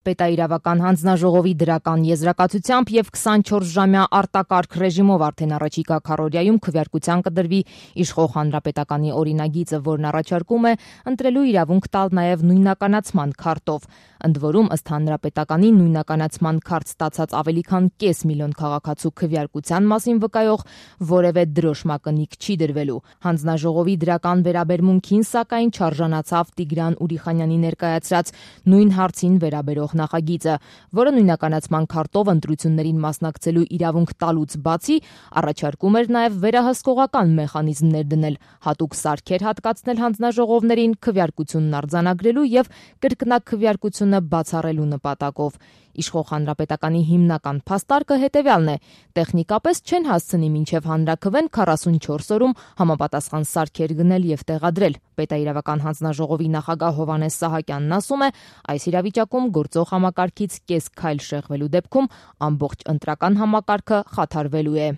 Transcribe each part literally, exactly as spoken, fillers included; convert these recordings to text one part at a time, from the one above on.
Պետաիրավական հանձնաժողովի դրական եզրակացությամբ եւ քսանչորս ժամյա արտակարգ ռեժիմով արդեն առաջիկա քառօրյայում քվեարկության կդրվի իշխող հանրապետականի օրինագիծը, որն առաջարկում է ընտրելու իրավունք տալ նաեւ նույնականացման քարտով։ Ընդ որում, ըստ հանրապետականի, նույնականացման քարտ ստացած ավելի քան կես միլիոն քաղաքացու քվեարկության մասին վկայող որևէ դրոշմակնիկ չի դրվելու։ Հանձնաժողովի դրական վերաբերմունքին, սակայն, չարժանացավ Տիգրան Ուրիխանյանի ներկայացրած նույն հարցին վերաբերող նախագիծը, որը նույնականացման քարտով ընտրություններին մասնակցելու իրավունք տալուց բացի առաջարկում էր նաև վերահսկողական մեխանիզմներ դնել, հատուկ սարքեր հատկացնել հանձնաժողովներին քվեարկությունն արձանագրելու եւ կրկնակվեարկությունը բացառելու նպատակով։ Իշխող հանրապետականի հիմնական փաստարկը հետևյալն է. տեխնիկապես չեն հասցնի մինչև հանրաքվեն քառասունչորս օրում համապատասխան սարքեր գնել եւ տեղադրել։ Պետաիրավական հանձնաժողովի նախագահ Հովհաննես Սահակյանն ասում է, այս իրավիճակում գործող համակարգից կես քայլ շեղվելու դեպքում ամբողջ ընտրական համակարգը խաթարվելու է։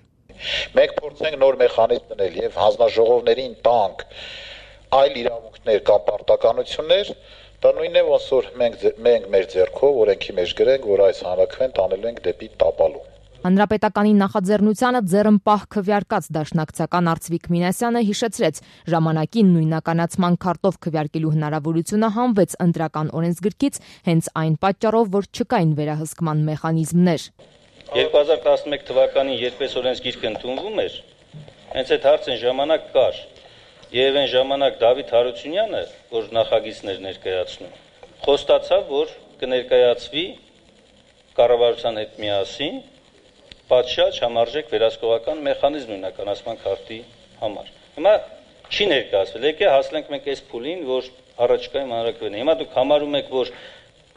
Մենք փորձենք նոր մեխանիզմ դնել եւ հանձնաժողովներին տանք այլ իրավունքներ կամ պարտականություններ, դա նույնն է, ոնց որ մենք մենք մեր ձեռքով օրենքի մեջ գրենք, որ այս հանրաքվեն տանելու ենք դեպի տապալու։ Հանրապետականի նախաձեռնությանը ձեռնպահ քվեարկած դաշնակցական Արծվիկ Մինասյանը հիշեցրեց, ժամանակին նույնականացման քարտով քվեարկելու հնարավորությունը հանվեց ընտրական օրենսգրքից հենց այն պատճառով, որ չկային վերահսկման մեխանիզմներ։ երկու հազար տասնմեկ թվականին, երբ այս օրենսգիրքը ընդունվում էր, հենց այդ հարցին ժամանակ կար, եւ այն ժամանակ Դավիթ Հարությունյանը, որ նախագիծներ ներկայացնում, խոստացավ, որ կներկայացվի կառավարության հետ միասին պատշաճ համարժեք վերահսկողական մեխանիզմ նույնականացման քարտի համար։ Հիմա չի ներկայացվել, եկե հասնենք մենք այս փուլին, որ առաջիկայում հանրաքվեն։ Հիմա դուք համարում եք, որ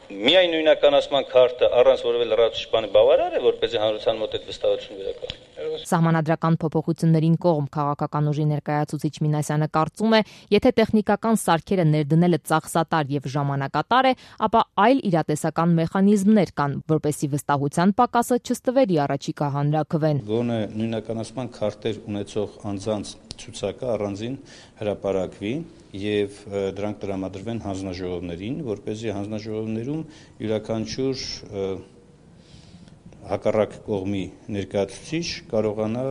միայն նույնականացման քարտը առանց որևէ լրացուցիչ բանի բավարար է, որպեսզի հանրության մոտ այդ վստահություն վերականգնի։ Սահմանադրական փոփոխություններին կողմ քաղաքական ուժի ներկայացուցիչ Մինասյանը կարծում է, եթե տեխնիկական սարքերը ներդնելը ծախսատար եւ ժամանակատար է, ապա այլ իրատեսական մեխանիզմներ կան, որպեսզի վստահության պակասը չստվերի առաջիկա հանրաքվեն։ Գոնե նույնականացման քարտեր ունեցող անձանց ցուցակը առանձին հրապարակվի եւ դրանք տրամադրվեն հանձնաժողովներին, որպեսզի հանձնաժողովներում յուրաքանչյուր հակառակ կողմի ներկայացուցիչ կարողանա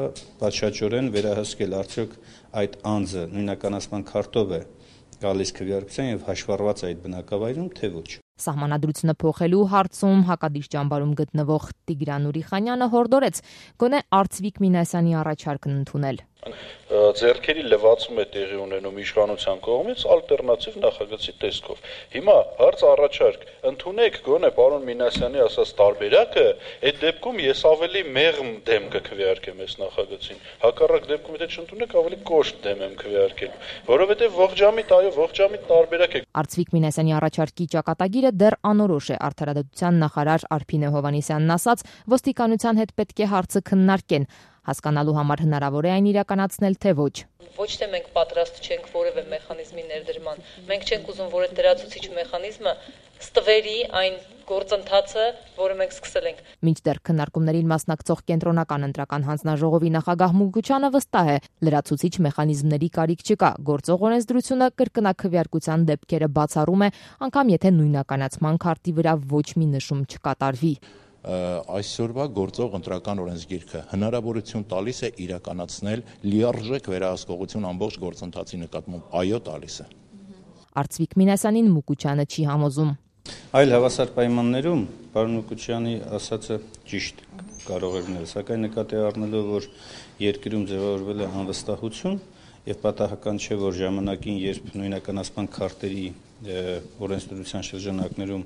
պատշաճորեն վերահսկել, արդյոք այդ անձը նույնականացման քարտով է գալիս քվեարկության եւ հաշվառված է այդ բնակավայրում, թե ոչ։ Սահմանադրությունը փոխելու հարցում հակադիր ճամբարում գտնվող Տիգրան Ուրիխանյանը հորդորեց գոնե Արծվիկ Մինասյանի առաջարկն ընդունել։ Ձեռքերի լվացում է տեղի ունենում իշխանության կողմից ալտերնատիվ նախագծի տեսքով։ Հիմա հարց առաջարկ, ընդունեք գոնե պարոն Մինասյանի ասած տարբերակը, այդ դեպքում ես ավելի մեղմ դեմ կքվեարկեմ այս նախագծին։ Հակառակ դեպքում եթե չընդունեք, ավելի կոշտ դեմ եմ քվեարկել, որովհետև ողջամիտ, այո, ողջամիտ տարբերակ է։ Արծվիկ Մինասյանի առաջարկի ճակատագիրը դեռ անորոշ է, արդարադատության նախարար Արփինե Հովհաննիսյանն ասաց, ոստիկանության հետ պետք է հարցը քննարկեն, հասկանալու համար հնարավոր է այն իրականացնել, թե ոչ։ Ոչ թե մենք պատրաստ չենք որևէ մեխանիզմի ներդրման, մենք չենք ուզում, որ այդ դրացուցիչ մեխանիզմը ստվերի այն գործընթացը, որը մենք սկսել ենք։ Մինչդեռ քննարկումներին մասնակցող կենտրոնական ընտրական հանձնաժողովի նախագահ Մուկուչյանը վստահ է, լրացուցիչ մեխանիզմների կարիք չկա, գործող օրենսդրությունը կրկնակվեարկության դեպքերը բացառում է, անգամ եթե նույնականացման քարտի վրա ոչ մի նշում չկատարվի։ Այսօրվա գործող ընտրական օրենսգիրքը հնարավորություն տալիս է իրականացնել լիարժեք վերահսկողություն ամբողջ գործընթացի նկատմամբ, այո, տալիս է։ Արծվիկ Մինասյանին Մուկուչյանը չի համոզում։ Այլ հավասար պայմաններում պարոն Մուկուչյանի ասածը ճիշտ կարող է լինել, սակայն նկատի առնելով, որ երկրում ձևավորվել է անվստահություն եւ պատահական չէ, որ ժամանակին, երբ նույնականացման քարտերի օրենսդրության շրջանակներում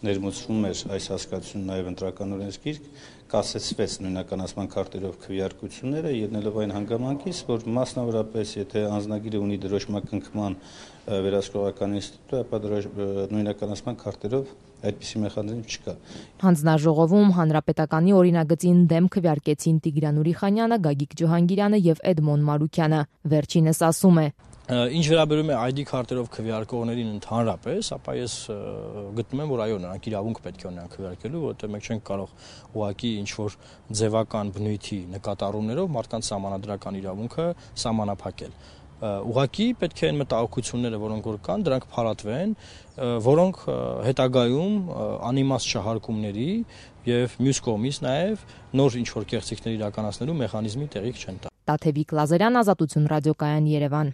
ներմուծվում էր այս հասկացությունը նաև ընտրական օրենսգիրք, կասեցվեց նույնականացման քարտերով քվեարկությունները, ելնելով այն հանգամանքից, որ մասնավորապես եթե անձնագիրը ունի դրոշմակնքման վերահսկողական ինստիտուտ, ապա նույնականացման քարտերով այդպիսի մեխանիզմ չկա։ Հանձնաժողովում հանրապետականի օրինագծին դեմ քվեարկեցին Տիգրան Ուրիխանյանը, Գագիկ Ջոհանգիրյանը եւ Էդմոն Մարուկյանը։ Վերջինս ասում է. Ինչ վերաբերում է այ դի քարտերով քվեարկողներին ընդհանրապես, ապա ես գտնում եմ, որ այո, նրանք իրավունք պետք է ունենան քվեարկելու, որովհետեւ մենք չենք կարող ուղղակի ինչ որ ձևական բնույթի նկատառումներով մարդկանց սահմանադրական իրավունքը սահմանափակել։ Ուղղակի պետք է այն մտահոգությունները, որոնք որ կան, դրանք փարատվեն, որոնք հետագայում անիմաստ շահարկումների եւ մյուս կողմից նաեւ նոր ինչ-որ կեղծիքներ իրականացնելու մեխանիզմի տեղիք չեն տա։ Տաթևիկ Լազարյան, Ազատություն ռադիոկայան, Երևան։